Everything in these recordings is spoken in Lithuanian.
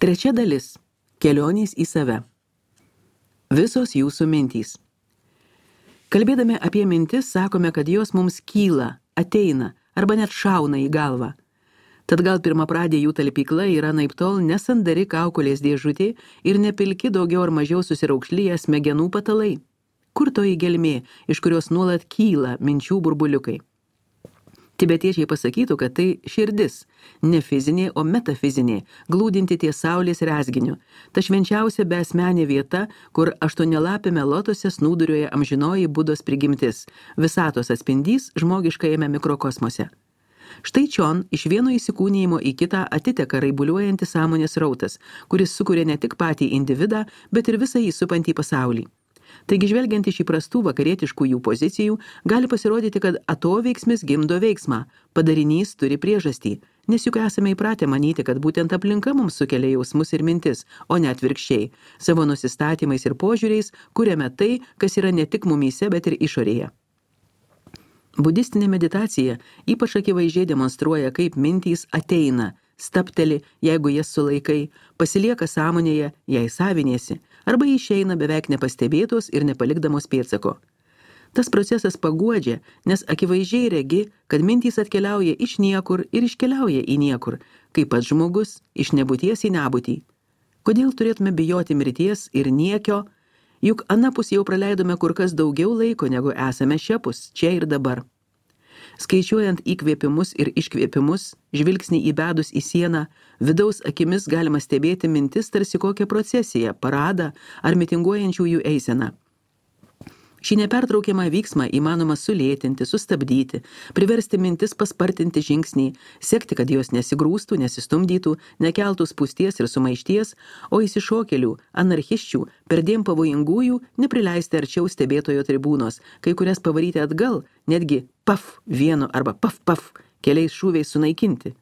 Trečia dalis – kelionės į save. Visos jūsų mintys. Kalbėdami apie mintis, sakome, kad jos mums kyla, ateina arba net šauna į galvą. Tad gal pirmapradė jų talpykla yra naiptol nesandari kaukolės dėžutė ir nepilki daugiau ar mažiau susiraukšlyje smegenų patalai. Kur toji gelmė, iš kurios nuolat kyla minčių burbuliukai? Tibetiečiai pasakytų, kad tai širdis, ne fizinė, o metafizinė, glūdinti ties saulės rezginiu. Ta švenčiausia beasmenė vieta, kur aštuonialapėme lotose snūduriuoja amžinoji Budos prigimtis, visatos atspindys žmogiškajame mikrokosmose. Štai čion iš vieno įsikūnijimo į kitą atiteka raibuliuojantis sąmonės rautas, kuris sukuria ne tik patį individą, bet ir visą jį supantį pasaulį. Taigi žvelgiant iš įprastų vakarietiškų jų pozicijų, gali pasirodyti, kad atoveiksmis gimdo veiksmą, padarinys turi priežastį, nes juk esame įpratę manyti, kad būtent aplinka mums sukelia jausmus ir mintis, o ne atvirkščiai, savo nusistatymais ir požiūriais kuriame tai, kas yra ne tik mumyse, bet ir išorėje. Budistinė meditacija ypač akivaizdžiai demonstruoja, kaip mintys ateina, stapteli, jeigu jas sulaikai, pasilieka sąmonėje, jei saviniesi, arba išeina beveik nepastebėtos ir nepalikdamos pėdsako. Tas procesas paguodžia, nes akivaizdžiai regi, kad mintys atkeliauja iš niekur ir iškeliauja į niekur, kaip pats žmogus iš nebūties į nebūtį. Kodėl turėtume bijoti mirties ir niekio? Juk anapus jau praleidome kur kas daugiau laiko, negu esame šiapus, čia ir dabar. Skaičiuojant įkvėpimus ir iškvėpimus, žvilgsnį įbedus į sieną, vidaus akimis galima stebėti mintis tarsi kokią procesiją, paradą ar mitinguojančiųjų eiseną. Šį nepertraukiamą vyksmą įmanoma sulėtinti, sustabdyti, priversti mintis paspartinti žingsnį, sekti, kad jos nesigrūstų, nesistumdytų, nekeltų spūsties ir sumaišties, o įsišokėlių, anarchiščių, perdėm pavojingųjų neprileisti arčiau stebėtojo tribūnos, kai kurias pavaryti atgal, netgi paf vienu arba paf keliais šūviais sunaikinti.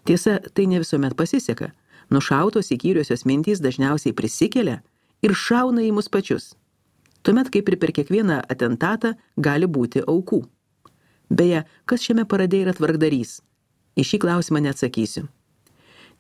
Tiesa, tai ne visuomet pasiseka. Nušautos įkyriosios mintys dažniausiai prisikelia ir šauna į mus pačius. Tuomet, kaip ir per kiekvieną atentatą, gali būti aukų. Beje, kas šiame parade yra tvarkdarys? Į šį klausimą neatsakysiu.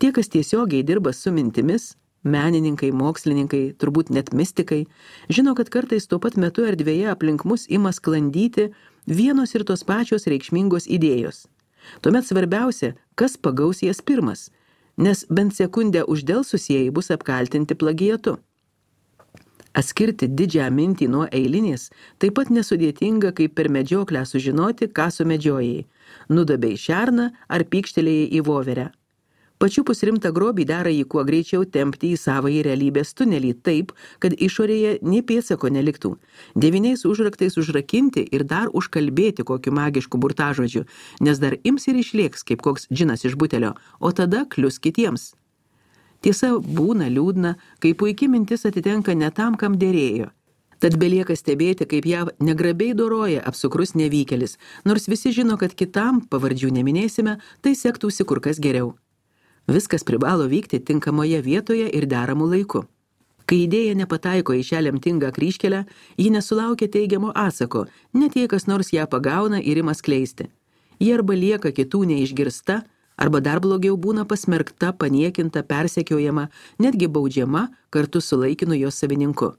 Tie, kas tiesiogiai dirba su mintimis, menininkai, mokslininkai, turbūt net mistikai, žino, kad kartais tuo pat metu erdvėje aplink mus ima sklandyti vienos ir tos pačios reikšmingos idėjos. Tuomet svarbiausia, kas pagaus jas pirmas, nes bent sekundę uždelsusieji bus apkaltinti plagiatu. Atskirti didžią mintį nuo eilinės taip pat nesudėtinga, kaip per medžioklę sužinoti, ką sumedžiojai, nudabei šerną ar pykštelėjai į voverę. Pačiupus rimtą grobį dera jį kuo greičiau tempti į savąjį realybės tunelį taip, kad išorėje nė pėdsako neliktų, 9 užraktais užrakinti ir dar užkalbėti kokiu magišku burtažodžiu, nes dar ims ir išlėks kaip koks džinas iš butelio, o tada klius kitiems. Tiesa, būna liūdna, kai puiki mintis atitenka ne tam, kam dėrėjo. Tad belieka stebėti, kaip ją negrabiai doroja apsukrus nevykėlis, nors visi žino, kad kitam, pavardžių neminėsime, tai sektųsi kur kas geriau. Viskas privalo vykti tinkamoje vietoje ir deramu laiku. Kai idėja nepataiko į šią lemtingą kryžkelę, ji nesulaukia teigiamo atsako, net jei kas nors ją pagauna ir ima skleisti. Ji arba lieka kitų neišgirsta, arba dar blogiau būna pasmerkta, paniekinta, persekiojama, netgi baudžiama kartu su laikinu jos savininku.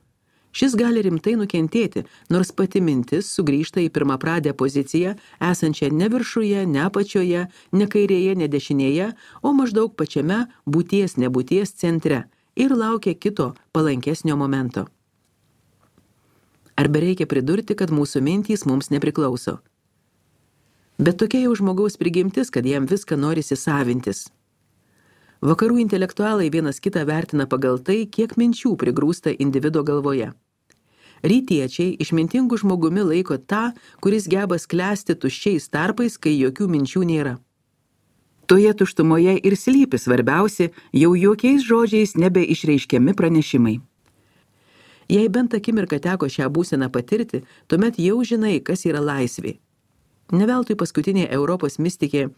Šis gali rimtai nukentėti, nors pati mintis sugrįžta į pirmapradę poziciją, esančią ne viršuje, ne apačioje, ne kairėje, ne dešinėje, o maždaug pačiame būties nebūties centre ir laukia kito palankesnio momento. Ar bereikia pridurti, kad mūsų mintys mums nepriklauso? Bet tokia jau žmogaus prigimtis, kad jam viską norisi savintis. Vakarų intelektualai vienas kitą vertina pagal tai, kiek minčių prigrūsta individo galvoje. Rytiečiai išmintingų žmogumi laiko tą, kuris geba sklęsti tuščiais tarpais, kai jokių minčių nėra. Toje tuštumoje ir slypi svarbiausi, jau jokiais žodžiais nebeišreiškiami pranešimai. Jei bent akimirką teko šią būseną patirti, tuomet jau žinai, kas yra laisvė. Neveltui paskutinė Europos mistikė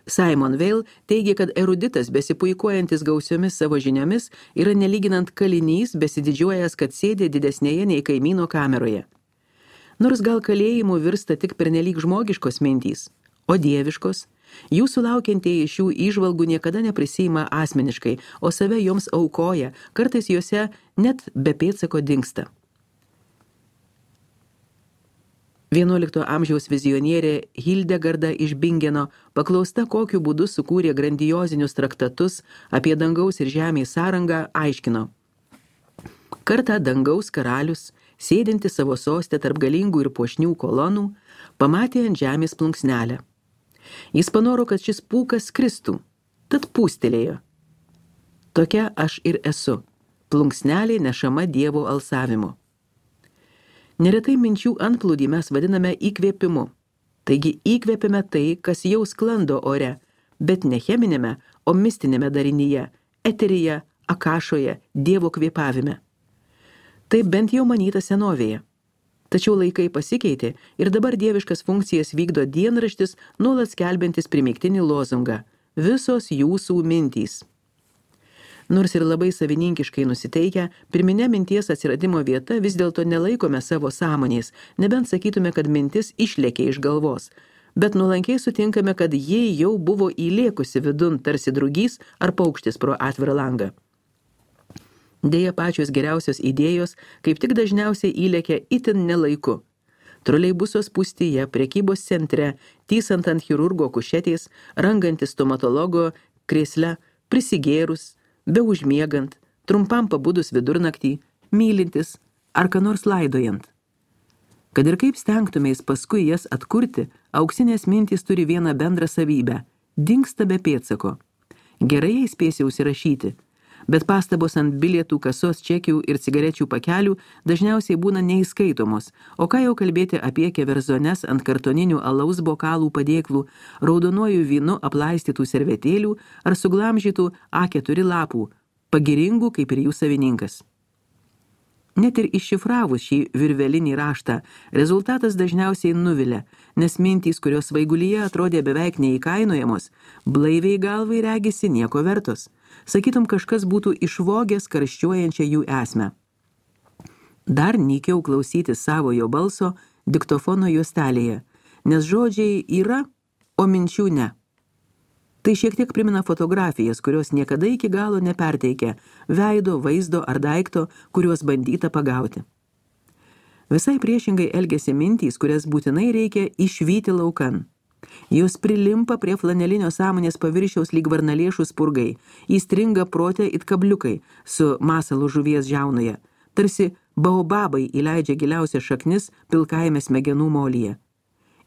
Simon Weil teigia, kad eruditas besipuikuojantis gausiomis savo žiniomis yra nelyginant kalinys besididžiuojas, kad sėdė didesnėje nei kaimyno kameroje. Nors gal kalėjimu virsta tik pernelyg žmogiškos mintys, o dieviškos, Jūsų laukiantieji šių įžvalgų niekada neprisiima asmeniškai, o save joms aukoja, kartais juose net be pėdsako dingsta. 11 amžiaus vizionierė Hildegarda iš Bingeno, paklausta, kokiu būdu sukūrė grandiozinius traktatus apie dangaus ir žemės sąrangą, aiškino. Kartą dangaus karalius, sėdinti savo sostę tarp galingų ir puošnių kolonų, pamatė ant žemės plunksnelę. Jis panoro, kad šis pūkas skristų, tad pūstelėjo. Tokia aš ir esu, plunksnelė nešama Dievo alsavimu. Neretai minčių antplūdį mes vadiname įkvėpimu. Taigi įkvėpime tai, kas jau sklando ore, bet ne cheminėme, o mistinėme darinyje, eteryje, akašoje, Dievo kvėpavime. Tai bent jau manyta senovėje. Tačiau laikai pasikeitė ir dabar dieviškas funkcijas vykdo dienraštis, nuolat skelbiantis primygtinį lozungą – visos jūsų mintys. Nors ir labai savininkiškai nusiteikę, pirminė minties atsiradimo vieta vis dėlto nelaikome savo sąmonės, nebent sakytume, kad mintis išlėkė iš galvos, bet nuolankiai sutinkame, kad ji jau buvo įlėkusi vidun tarsi drugys ar paukštis pro atvirą langą. Deja, pačios geriausios idėjos kaip tik dažniausiai įlėkia itin nelaiku. Troleibuso spūstyje, prekybos centre, tysant ant chirurgo kušetės, rangantis stomatologo krėsle, prisigėrus, be užmiegant, trumpam pabudus vidurnaktį, mylintis ar ką nors laidojant. Kad ir kaip stengtumės paskui jas atkurti, auksinės mintys turi vieną bendrą savybę – dingsta be pėdsako. Gerai jai spėsi užsirašyti, bet pastabos ant bilietų, kasos čekių ir cigarečių pakelių dažniausiai būna neįskaitomos, o ką jau kalbėti apie keverzones ant kartoninių alaus bokalų padėklų, raudonuoju vynu aplaistytų servetėlių ar suglamžytų A4 lapų, pagiringų kaip ir jų savininkas. Net ir iššifravus šį virvelinį raštą, rezultatas dažniausiai nuvilia, nes mintys, kurios svaigulyje atrodė beveik neįkainojamos, blaiviai galvai regisi nieko vertos. Sakytum, kažkas būtų išvogęs karščiuojančią jų esmę. Dar nykiau klausyti savojo balso diktofono juostelėje, nes žodžiai yra, o minčių ne. Tai šiek tiek primena fotografijas, kurios niekada iki galo neperteikia veido, vaizdo ar daikto, kuriuos bandyta pagauti. Visai priešingai elgiasi mintys, kurias būtinai reikia išvyti laukan. Jos prilimpa prie flanelinio sąmonės paviršiaus lyg varnalėšų spurgai, įstringa prote it kabliukai su masalu žuvies žiaunoje, tarsi baobabai įleidžia giliausias šaknis pilkajame smegenų molyje.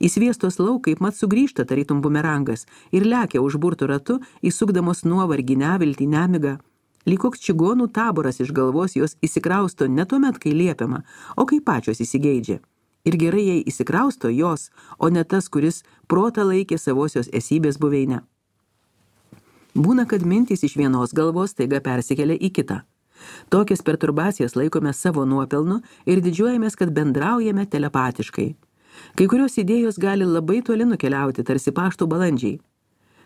Įsviestos lauk kaip mat sugrįžta tarytum bumerangas ir lekia užburtų ratu, įsukdamos nuovargį, neviltį, nemigą. Lyg koks čigonų taboras iš galvos jos įsikrausto ne tuomet, kai liepiama, o kai pačios įsigeidžia. Ir gerai jai įsikrausto jos, o ne tas, kuris protą laikė savosios esybės buveinę. Būna, kad mintys iš vienos galvos taiga persikelia į kitą. Tokias perturbacijas laikome savo nuopelnu ir didžiuojamės, kad bendraujame telepatiškai. Kai kurios idėjos gali labai toli nukeliauti, tarsi pašto balandžiai.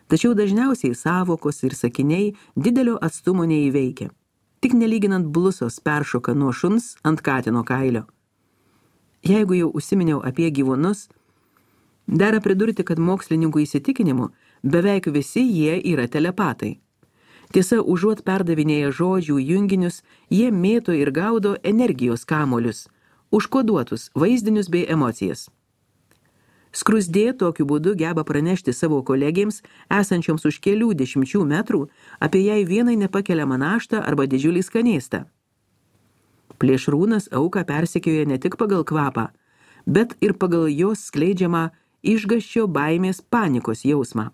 Tačiau dažniausiai sąvokos ir sakiniai didelio atstumo neįveikia. Tik nelyginant blusos peršoka nuo šuns ant katino kailio. Jeigu jau užsiminiau apie gyvūnus, dera pridurti, kad mokslininkų įsitikinimu beveik visi jie yra telepatai. Tiesa, užuot perdavinėję žodžių junginius, jie mėto ir gaudo energijos kamolius, užkoduotus vaizdinius bei emocijas. Skruzdė tokiu būdu geba pranešti savo kolegėms, esančioms už kelių dešimčių metrų, apie jai vienai nepakeliamą naštą arba didžiulį skanėstą. Plėšrūnas auką persekioja ne tik pagal kvapą, bet ir pagal jos skleidžiamą išgąsčio, baimės, panikos jausmą.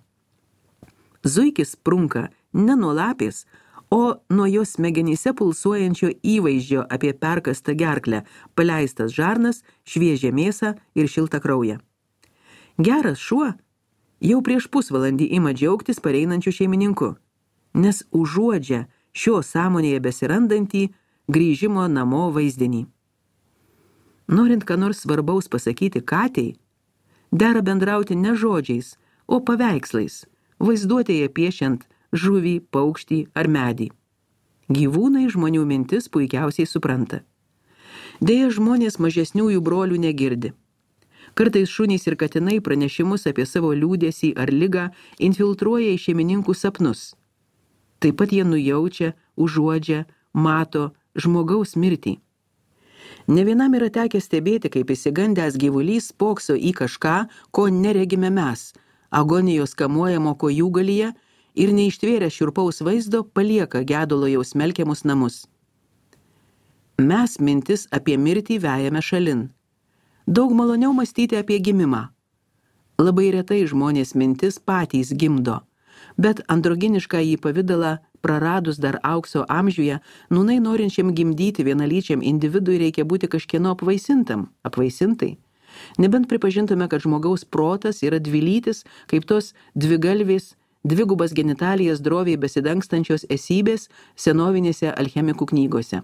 Zuikis sprunka ne nuo lapės, o nuo jos smegenyse pulsuojančio įvaizdžio apie perkastą gerklę, paleistas žarnas, šviežią mėsą ir šiltą kraują. Geras šuo jau prieš pusvalandį ima džiaugtis pareinančių šeimininku, nes užuodžia šio sąmonėje besirandantį grįžimo namo vaizdinį. Norint ką nors svarbaus pasakyti katei, dera bendrauti ne žodžiais, o paveikslais, vaizduotėje piešiant žuvį, paukštį ar medį. Gyvūnai žmonių mintis puikiausiai supranta. Deja, žmonės mažesniųjų brolių negirdi. Kartais šunys ir katinai pranešimus apie savo liūdesį ar ligą infiltruoja į šeimininkų sapnus. Taip pat jie nujaučia, užuodžia, mato žmogaus mirtį. Ne vienam yra tekę stebėti, kaip išsigandęs gyvulys spokso į kažką, ko neregime mes, agonijos kamuojamo kojūgalyje ir neištvėrę šiurpaus vaizdo palieka gedulo jau smelkiamus namus. Mes mintis apie mirtį vejame šalin. Daug maloniau mąstyti apie gimimą. Labai retai žmonės mintis patys gimdo, bet androginišką jį pavidalą praradus dar aukso amžiuje, nūnai norinčiam gimdyti vienalyčiam individui reikia būti kažkieno apvaisintai. Nebent pripažintume, kad žmogaus protas yra dvilytis, kaip tos dvigalvės, dvigubas genitalijas droviai besidangstančios esybės senovinėse alchemikų knygose.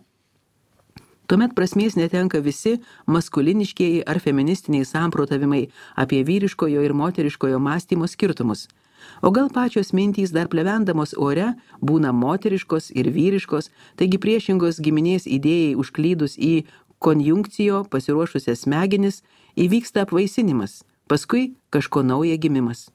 Tuomet prasmės netenka visi maskuliniškieji ar feministiniai samprotavimai apie vyriškojo ir moteriškojo mąstymo skirtumus. O gal pačios mintys dar plevendamos ore būna moteriškos ir vyriškos, taigi priešingos giminės idėjai užklydus į konjunkcijo pasiruošusias smegenis įvyksta apvaisinimas, paskui kažko nauja gimimas.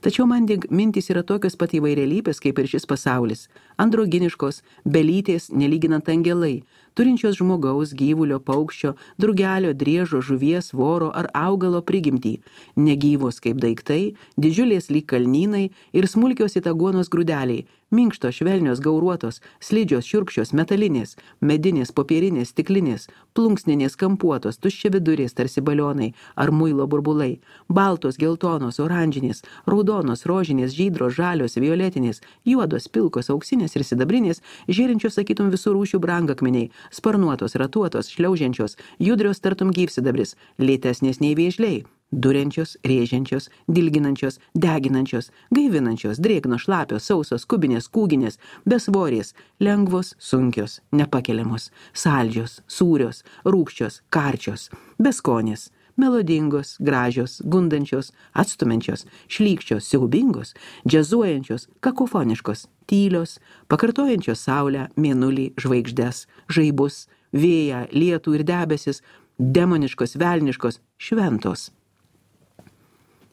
Tačiau man mintys yra tokios pat įvairialypės kaip ir šis pasaulis, androginiškos, belytės, nelyginant angelai, turinčios žmogaus, gyvulio, paukščio, drugelio, driežo, žuvies, voro ar augalo prigimtį, negyvos kaip daiktai, didžiulės lyg kalnynai ir smulkios itaguonos grūdeliai, minkštos, švelnios, gauruotos, slidžios, šiurkščios, metalinės, medinės, popierinės, stiklinės, plunksninės, kampuotos, tuščiavidurės tarsi balionai ar muilo burbulai, baltos, geltonos, oranžinės, raudonos, rožinės, žydros, žalios, violetinės, juodos, pilkos, auksinės ir sidabrinės, žėrinčios, sakytum, visų rūšių brangakmeniai, sparnuotos, ratuotos, šliaužiančios, judrios tartum gyvsidabris, lėtesnės nei vėžliai, duriančios, rėžiančios, dilginančios, deginančios, gaivinančios, drėgnos, šlapios, sausos, kubinės, kūginės, besvorės, lengvos, sunkios, nepakeliamos, saldžios, sūrios, rūgščios, karčios, beskonės, melodingos, gražios, gundančios, atstumiančios, šlykščios, siaubingos, džiazuojančios, kakofoniškos, tylios, pakartojančios saulę, mėnulį, žvaigždes, žaibus, vėją, lietų ir debesis, demoniškos, velniškos, šventos.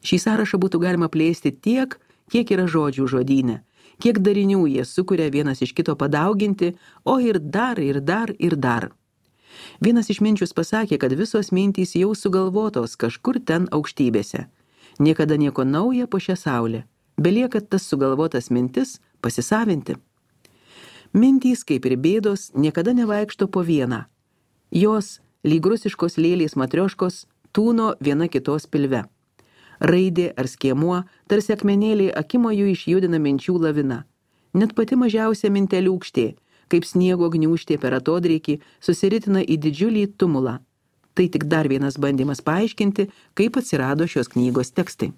Šį sąrašą būtų galima plėsti tiek, kiek yra žodžių žodyne, kiek darinių jie sukuria vienas iš kito padauginti, o ir dar, ir dar, ir dar. Vienas išminčius pasakė, kad visos mintys jau sugalvotos kažkur ten aukštybėse. Niekada nieko nauja po šią saulę. Belieka tas sugalvotas mintis pasisavinti. Mintys, kaip ir bėdos, niekada nevaikšto po vieną. Jos, lyg rusiškos lėlės matrioškos, tūno viena kitos pilve. Raidė ar skiemuo, tarsi akmenėliai akimojų išjudina minčių lavina. Net pati mažiausia minteliūkštė, kaip sniego gniūžtė per atodrėkį, susiritina į didžiulį tumulą. Tai tik dar vienas bandymas paaiškinti, kaip atsirado šios knygos tekstai.